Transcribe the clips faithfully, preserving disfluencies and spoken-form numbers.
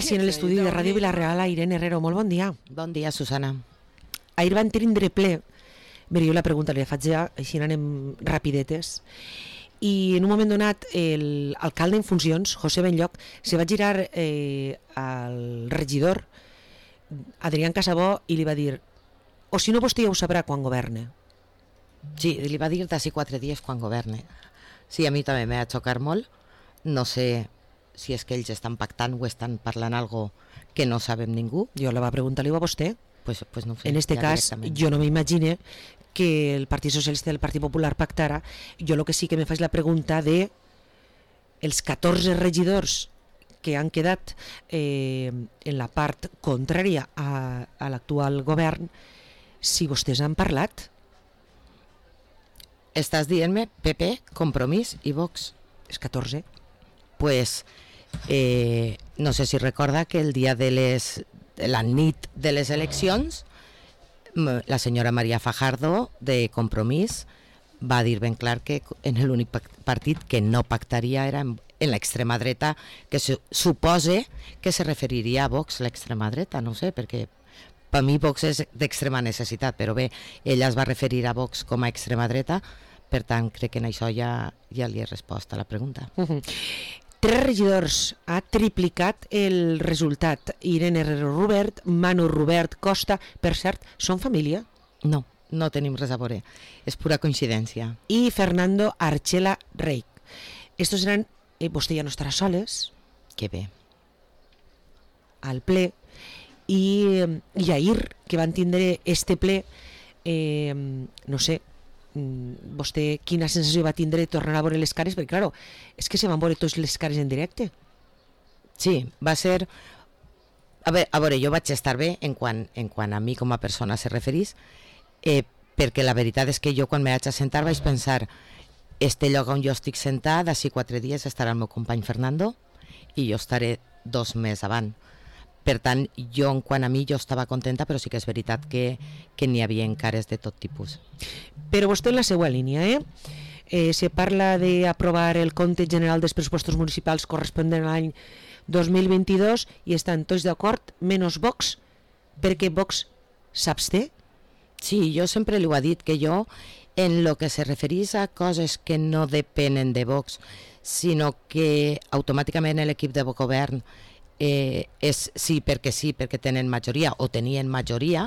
Sí, en l'estudi de Ràdio Vila-real, a Irene Herrero. Molt bon dia. Bon dia, Susana. Ahir van tindre ple. Mira, jo la pregunta li faig ja, així anem rapidetes. I en un moment donat, l'alcalde en funcions, José Benlloc, se va girar eh, al regidor, Adrián Casabó, i li va dir: o si no, vostè ja ho sabrà quan governe. Sí, li va dir d'ací quatre dies quan governe. Sí, a mi també m'ha xocat molt. No sé si és que ells estan pactant o estan parlant algo que no sabem ningú. Jo la va preguntar-li a vostè. Pues, pues no sé, en este cas, jo no m'imagine que el Partit Socialista i el Partit Popular pactara. Jo el que sí que me faig la pregunta de els catorze regidors que han quedat eh, en la part contrària a, a l'actual govern, si vostès han parlat. Estàs dient-me P P, Compromís i Vox. És catorze. Pues eh, no sé si recorda que el dia de les la nit de les eleccions la senyora María Fajardo de Compromís va dir ben clar que en l'únic partit que no pactaria era en, en l'extrema dreta, que se, supose que se referiria a Vox, l'extrema dreta, no sé, perquè per mi Vox és d'extrema necessitat, però bé, ella es va referir a Vox com a extrema dreta, per tant crec que en això ja, ja li he respost a la pregunta. Uh-huh. Tres regidors ha triplicat el resultat. Irene Herrero Rubert, Manu Rubert Costa, per cert, són família? No, no tenim res a veure, és pura coincidència. I Fernando Archela Reich. Estos eren, eh, vostè ja no estarà soles. Que bé. Al ple. I, i ahir, que van tindre este ple, eh, no sé, vostè quina sensació va tindre tornar a veure les cares, perquè claro, és que se van veure tots les cares en directe. Sí, va ser a veure, a veure jo vaig estar bé en quant, en quant a mi com a persona se referís, eh, perquè la veritat és que jo quan me vaig a sentar vaig pensar, este lloc on jo estic sentat d'ací quatre dies estarà el meu company Fernando i jo estaré dos més avant. Per tant, jo en quant a mi jo estava contenta, però sí que és veritat que, que n'hi havia cares de tot tipus. Però vostè en la seva línia, eh? eh se parla d'aprovar el compte general dels pressupostos municipals corresponent a l'any dos mil vint-i-dos i estan tots d'acord, menys Vox, perquè Vox s'absté? Sí, jo sempre li ho he dit, que jo, en lo que se referís a coses que no depenen de Vox, sinó que automàticament l'equip de govern Eh, és sí perquè sí, perquè tenen majoria o tenien majoria,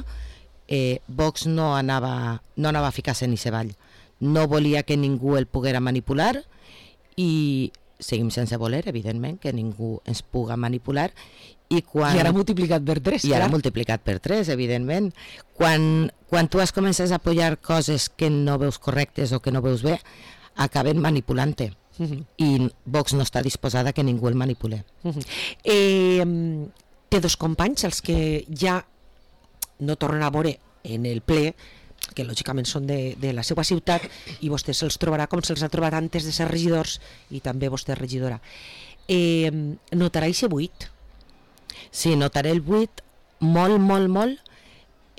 eh, Vox no anava, no anava a ficar-se ni savall, no volia que ningú el poguera manipular i seguim sense voler, evidentment, que ningú ens puga manipular. I, quan, I ara multiplicat per tres. I ara multiplicat per tres, evidentment. Quan, quan tu has començat a apoyar coses que no veus correctes o que no veus bé, acaben manipulant-te. Uh-huh. I Vox no està disposada que ningú el manipule. Uh-huh. eh, té dos companys els que ja no tornen a veure en el ple, que lògicament són de, de la seva ciutat, i vostè se'ls trobarà com se'ls ha trobat antes de ser regidors, i també vostè és regidora. eh, notarà aquest buit? Sí, notaré el buit molt, molt, molt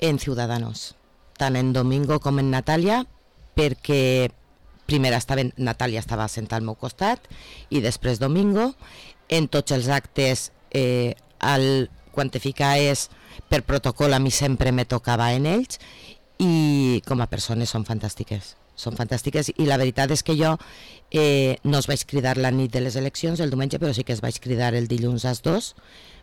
en Ciudadanos, tant en Domingo com en Natàlia, perquè primer estava, Natàlia estava sentada al meu costat i després Domingo. En tots els actes eh, el quantificar és per protocol, a mi sempre me tocava en ells, i com a persones són fantàstiques, són fantàstiques i la veritat és que jo eh, no els vaig cridar la nit de les eleccions, el diumenge, però sí que els vaig cridar el dilluns als dos,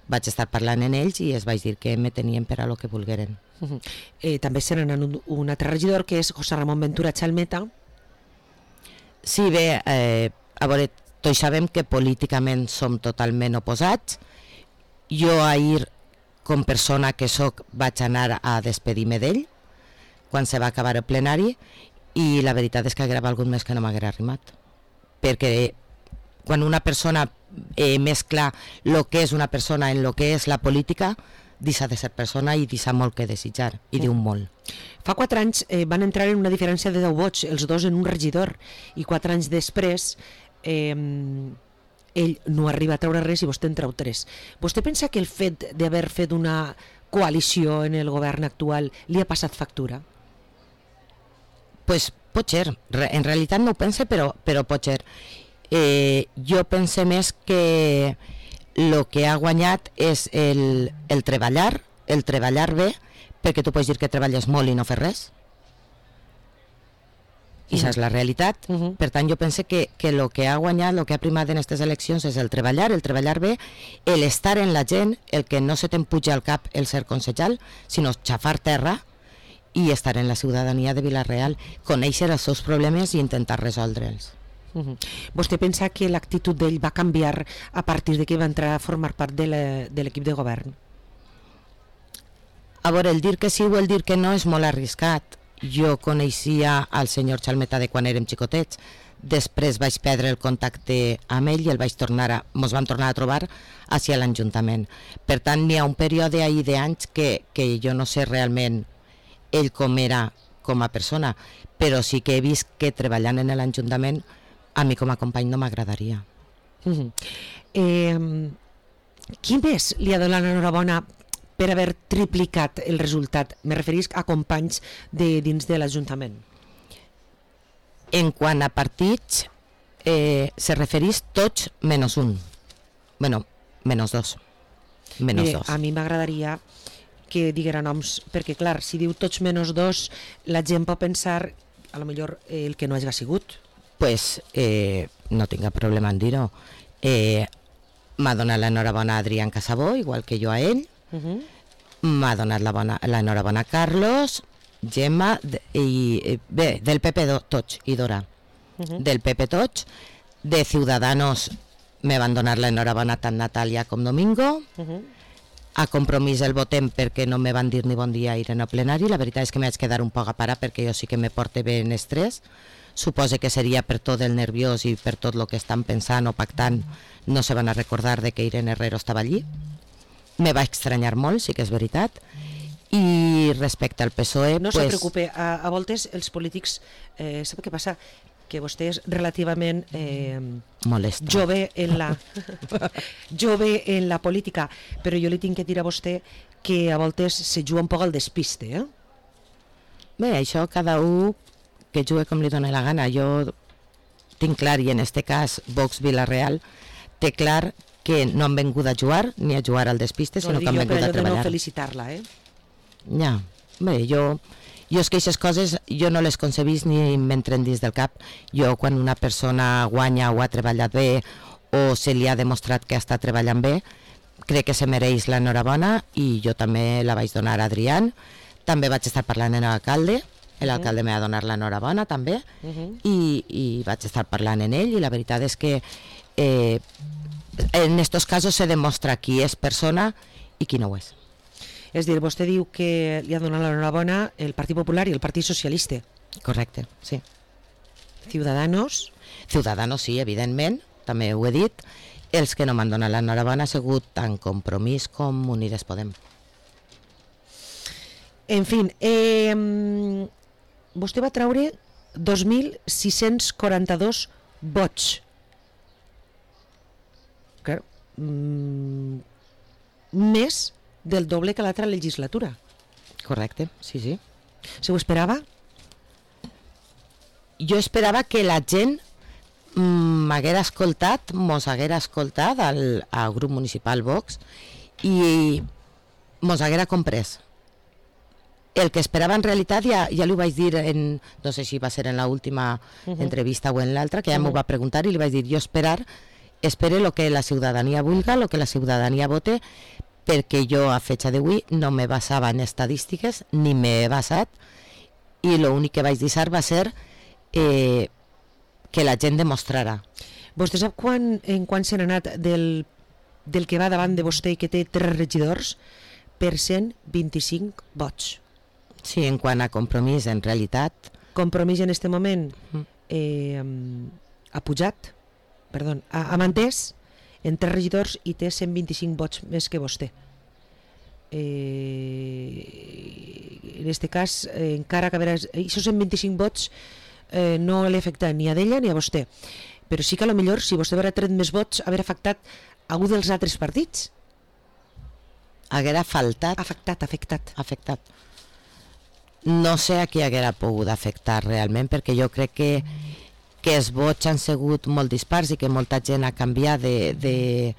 vaig estar parlant en ells i es vaig dir que me tenien per a lo que volgueren. Uh-huh. eh, també serà un, un altre regidor que és José Ramón Ventura Chalmeta. Sí, bé, eh, a veure, tots sabem que políticament som totalment oposats. Jo ahir, com persona que soc, vaig anar a despedir-me d'ell quan se va acabar el plenari i la veritat és que haguera valgut més que no m'haguera arrimat. Perquè quan una persona eh, mescla el que és una persona en el que és la política, deixa de ser persona i deixa molt que desitjar, i diu molt. Fa quatre anys eh, van entrar en una diferència de deu vots, els dos en un regidor, i quatre anys després eh, ell no arriba a treure res i vostè en treu tres. Vostè pensa que el fet d'haver fet una coalició en el govern actual li ha passat factura? Pues pot ser, en realitat no ho pense, però, però pot ser. Eh, jo pense més que el que ha guanyat és el, el treballar, el treballar bé, perquè tu pots dir que treballes molt i no fes res. I això és la realitat. Uh -huh. Per tant, jo penso que el que ha guanyat, el que ha primat en aquestes eleccions és el treballar, el treballar bé, el estar en la gent, el que no se t'empuja al cap el ser concejal, sinó xafar terra i estar en la ciutadania de Vila-real, conèixer els seus problemes i intentar resoldre'ls. Uh -huh. Vostè pensa que l'actitud d'ell va canviar a partir de que va entrar a formar part de l'equip de govern? A veure, el dir que sí o el dir que no és molt arriscat. Jo coneixia al senyor Xalmeta de quan érem xicotets, després vaig perdre el contacte amb ell i el vaig tornar a, mos vam tornar a trobar hacia l'Ajuntament. Per tant, n'hi ha un període ahir d'anys que, que jo no sé realment ell com era com a persona, però sí que he vist que treballant en l'Ajuntament a mi com a company no m'agradaria. Uh-huh. eh, qui més li ha donat l'enhorabona per haver triplicat el resultat? Me referisc a companys de dins de l'Ajuntament. En quant a partits, eh, se referís tots menys un. Bueno, menys dos. Menys Mire, dos. a mi m'agradaria que diguera noms, perquè clar, si diu tots menys dos, la gent pot pensar a lo millor eh, el que no hagi sigut. Pues eh, no tinc cap problema en dir-ho. Eh, m'ha donat l'enhorabona a Adrián Casabó, igual que jo a ell. Uh-huh. M'ha donat l'enhorabona a Carlos, Gemma de, i bé, del P P tots i Dora. Uh-huh. Del P P tots, de Ciudadanos me van donar l'enhorabona tant Natàlia com Domingo. Uh-huh. A Compromís el votem perquè no me van dir ni bon dia a ir en el plenari. La veritat és que m'haig quedar un poc a parar perquè jo sí que me porte bé en estrès. Suposo que seria per tot el nerviós i per tot el que estan pensant o pactant, no se van a recordar de que Irene Herrero estava allí. Me va estranyar molt, sí que és veritat. I respecte al P S O E... No pues... se preocupe, a, a voltes els polítics, eh, sap què passa? Que vostè és relativament eh, molesta, jove en la jove en la política, però jo li tinc que dir a vostè que a voltes se juga un poc al despiste, eh? Bé, això cada un que jugue com li dona la gana. Jo tinc clar, i en este cas Vox Vila-real té clar que no han vengut a jugar ni a jugar al despiste, no, sinó que han vengut a treballar. No felicitar-la, eh? Ja, bé, jo jo és que aquestes coses jo no les concebís ni m'entren dins del cap. Jo quan una persona guanya o ha treballat bé o se li ha demostrat que està treballant bé, crec que se mereix l'enhorabona i jo també la vaig donar a Adrián. També vaig estar parlant amb l'alcalde, l'alcalde m'ha donat l'enhorabona també, uh-huh. i, i vaig estar parlant amb ell i la veritat és que eh, en estos casos se demostra qui és persona i qui no ho és. És dir, vostè diu que li ha donat l'enhorabona el Partit Popular i el Partit Socialista. Correcte, sí. Ciudadanos? Ciudadanos sí, evidentment, també ho he dit. Els que no m'han donat l'enhorabona ha sigut tant Compromís com Unides Podem. En fi, eh, vostè va treure dos mil sis-cents quaranta-dos vots. Claro, mm, més del doble que l'altra legislatura. Correcte, sí, sí. Se ho esperava? Jo esperava que la gent m'haguera escoltat, mos haguera escoltat al, al grup municipal Vox i mos haguera comprès. El que esperava en realitat, ja, ja li ho vaig dir, en, no sé si va ser en l'última uh-huh. entrevista o en l'altra, que ja uh-huh. m'ho va preguntar i li vaig dir, jo esperar, espere lo que la ciutadania vulga, lo que la ciutadania vote, perquè jo a fecha d'avui no me basava en estadístiques ni m'he basat i l'únic que vaig deixar va ser eh, que la gent demostrara. Vostè sap quan, en quan s'han anat del, del que va davant de vostè i que té tres regidors per cent vint-i-cinc vots? Sí, en quant a Compromís, en realitat. Compromís en este moment eh, ha pujat, perdó, ha, ha mantès en tres regidors i té cent vint-i-cinc vots més que vostè. Eh, en aquest cas, eh, encara que haurà... Aquests cent vint-i-cinc vots eh, no l'he afectat ni a d'ella ni a vostè. Però sí que a lo millor, si vostè haurà tret més vots, haurà afectat algú dels altres partits. Haguera faltat... Afectat, afectat. Afectat. No sé a qui haguera pogut afectar realment, perquè jo crec que que els vots han sigut molt dispars i que molta gent ha canviat de, de,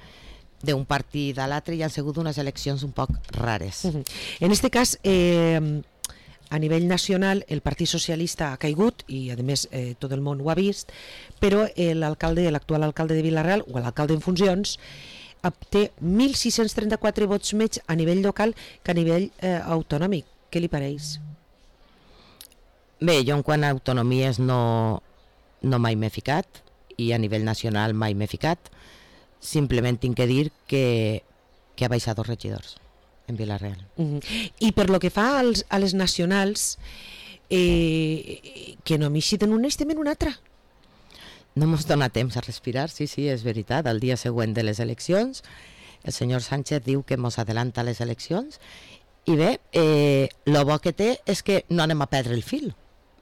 d'un partit a l'altre i han sigut unes eleccions un poc rares. Uh-huh. En este cas, eh, a nivell nacional, el Partit Socialista ha caigut i, a més, eh, tot el món ho ha vist, però l'alcalde, l'actual alcalde de Vila-real, o l'alcalde en funcions, té mil sis-cents trenta-quatre vots menys a nivell local que a nivell eh, autonòmic. Què li pareix? Bé, jo en quant a autonomies no, no mai m'he ficat i a nivell nacional mai m'he ficat. Simplement tinc que dir que, que ha baixat dos regidors en Vila-real. Uh-huh. I per lo que fa als, a les nacionals, eh, que no m'eixiten un estem en un altre. No mos dona temps a respirar, sí, sí, és veritat. El dia següent de les eleccions, el senyor Sánchez diu que mos adelanta les eleccions i bé, eh, lo bo que té és que no anem a perdre el fil.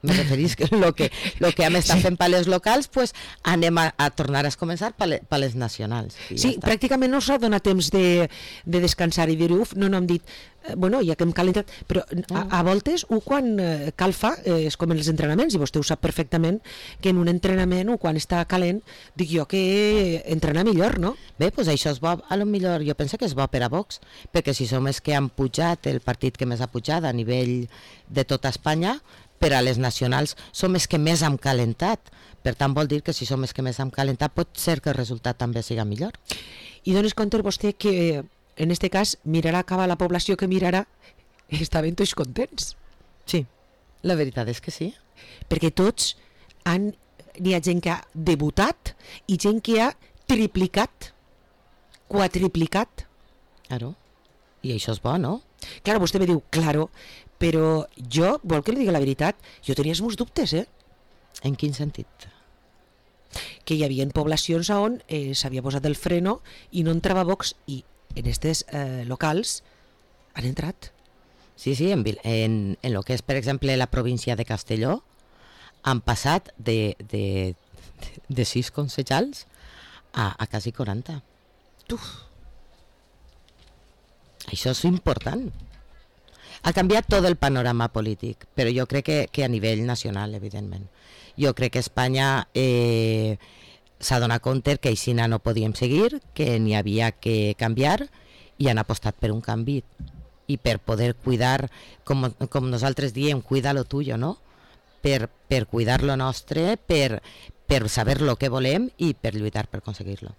Me referís que el que, lo que hem estat fent per les locals, pues, anem a, a tornar a començar per les, per les nacionals. Sí, ja pràcticament no s'ha donat temps de, de descansar i dir, uf, no, no hem dit, eh, bueno, ja que hem calentat, però a, a voltes, ho quan eh, cal fa, eh, és com en els entrenaments, i vostè ho sap perfectament, que en un entrenament, o quan està calent, dic jo que entrenar millor, no? Bé, doncs això és bo, a lo millor jo penso que és bo per a Vox, perquè si som els que han pujat, el partit que més ha pujat a nivell de tota Espanya, per a les nacionals som els que més hem calentat. Per tant, vol dir que si som els que més hem calentat pot ser que el resultat també siga millor. I dones compte vostè que en este cas mirarà cap a la població que mirarà i estaven tots contents. Sí, la veritat és que sí. Perquè tots han... N'hi ha gent que ha debutat i gent que ha triplicat, quadriplicat. Claro. I això és bo, no? Claro, vostè me diu, claro, però jo, vol que li digui la veritat, jo tenia els meus dubtes, eh? En quin sentit? Que hi havia poblacions on eh, s'havia posat el freno i no entrava Vox i en aquests eh, locals han entrat. Sí, sí, en, en, en lo que és, per exemple, la província de Castelló han passat de, de, de sis concejals a, a quasi quaranta. Uf. Això és important. Ha canviat tot el panorama polític, però jo crec que, que a nivell nacional, evidentment. Jo crec que Espanya eh, s'ha donat compte que així no podíem seguir, que n'hi havia que canviar i han apostat per un canvi i per poder cuidar, com, com nosaltres diem, cuida lo tuyo, no? Per, per cuidar lo nostre, per, per saber lo que volem i per lluitar per aconseguir-lo.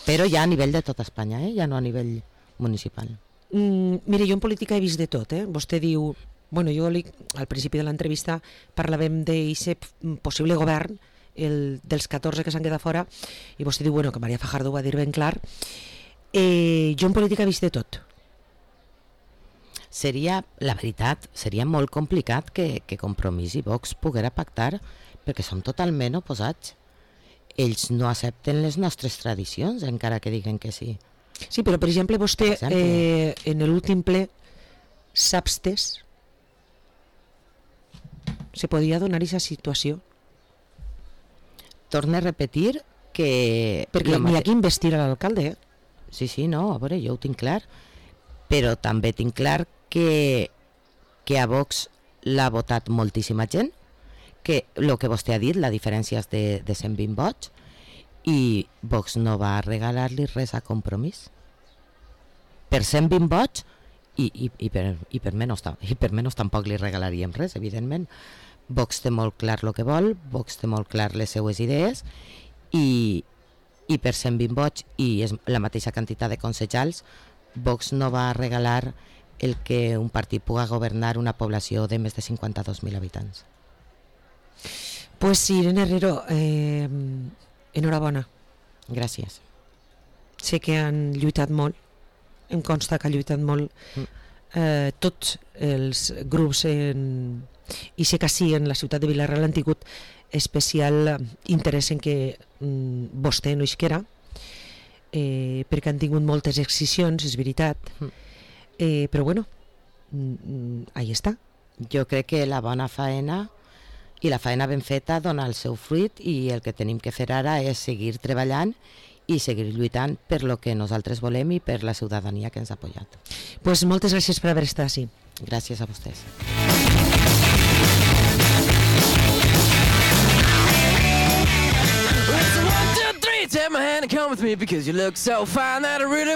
Però ja a nivell de tota Espanya, eh? Ja no a nivell municipal. Mm, mire, jo en política he vist de tot, eh? Vostè diu, bueno, jo li, al principi de l'entrevista parlàvem d'aquest possible govern, el dels catorze que s'han quedat fora, i vostè diu, bueno, que María Fajardo ho va dir ben clar. Eh, jo en política he vist de tot. Seria, la veritat, seria molt complicat que, que Compromís i Vox poguera pactar, perquè són totalment oposats. Ells no accepten les nostres tradicions, encara que diguen que sí. Sí, però per exemple vostè per exemple, eh, en l'últim ple s'abstès, se podia donar aquesta situació? Torne a repetir que... Perquè n'hi ha que investir a l'alcalde, eh? Sí, sí, no, a veure, jo ho tinc clar, però també tinc clar que, que a Vox l'ha votat moltíssima gent, que el que vostè ha dit, la diferència és de, de cent vint vots, i Vox no va regalar-li res a Compromís. Per cent vint vots, i, i, i, per, i, per menys, i per menys tampoc li regalaríem res, evidentment. Vox té molt clar el que vol, Vox té molt clar les seues idees, i, i per cent vint vots, i és la mateixa quantitat de concejals, Vox no va regalar el que un partit pugui governar una població de més de cinquanta-dos mil habitants. Pues sí, Irene Herrero, eh, enhorabona. Gràcies. Sé que han lluitat molt, em consta que ha lluitat molt eh, tots els grups en, i sé que sí, en la ciutat de Vila-real han tingut especial interès en que mm, vostè no isquera, eh, perquè han tingut moltes excisions, és veritat, eh, però bueno, mm, ahí està. Jo crec que la bona faena i la feina ben feta dona el seu fruit, i el que tenim que fer ara és seguir treballant i seguir lluitant per lo que nosaltres volem i per la ciutadania que ens ha apoyat. Pues moltes gràcies per haver estat així. Gràcies a vostès. One, two, three, take my hand. and come with me because you look so fine that I really